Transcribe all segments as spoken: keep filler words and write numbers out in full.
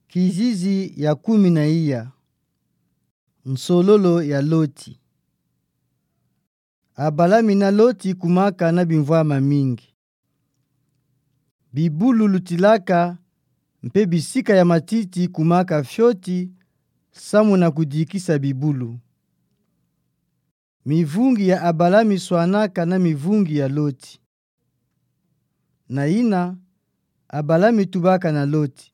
Kizizi ya kumi na iya. Nsololo ya Loti. Abalami na Loti kumaka na bimvwama mingi. Bibulu lutilaka, mpe bisika ya matiti kumaka fioti, samu na kudikisa bibulu. Mivungi ya Abalami swanaka na mivungi ya Loti. Na yina, Abalami tubaka na Loti: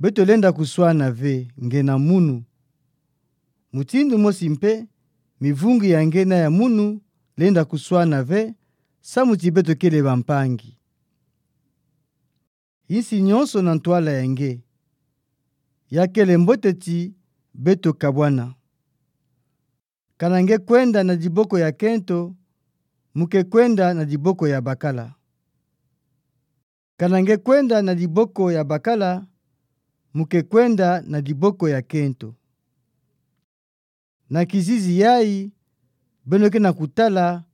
Beto lenda kuswana ve, nge na munu. Mutindu mosi mpe, mivungi ya nge na ya munu lenda kuswana ve, samu ti beto kele bampangi. Insi nyonso na ntwala ya nge. Ya kele mbote ti beto kabwana. Kana nge kwenda na diboko ya kento, mu ke kwenda na diboko ya bakala. Kana nge kwenda na diboko ya bakala, mu ke kwenda na diboko ya kento. Na kizizi yayi, beno ke na kutala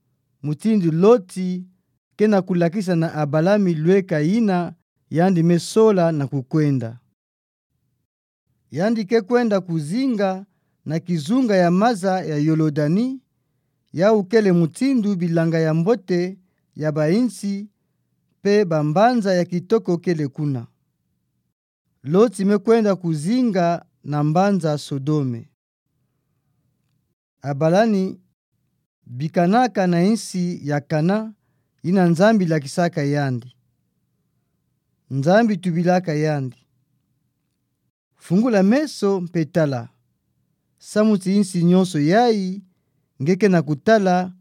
mutindu Loti ke na kulakisa na Abalami lweka yina yandi me sola na kukwenda. Yandi ke kwenda kuzinga na kizunga ya maza ya Yolodani, yawu kele mutindu bilanga ya mbote ya bainsi, mpe bambanza ya kitoko kele kuna. Loti me kwenda kuzinga na mbanza Sodome. Abalami bikanaka na insi ya Kana, yina Nzambi lakisaka yandi. Nzambi tubilaka yandi: Fungula meso mpe tala, samu ti insi nyonso yayi nge ke na kutala,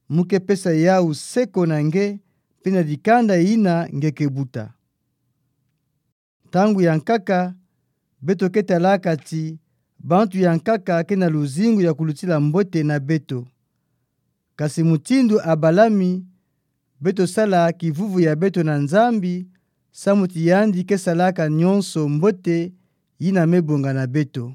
mu ke pesa yawu seko na nge, mpe na dikanda yina nge ke buta. Ntangu ya nkaka, beto ke talaka ti bantu ya nkaka ke na luzingu ya kulutila mbote na beto. Kasi mutindu Abalami, beto sala kivuvu ya beto na Nzambi, samu ti yandi ke salaka nyonso mbote yina me bonga na beto.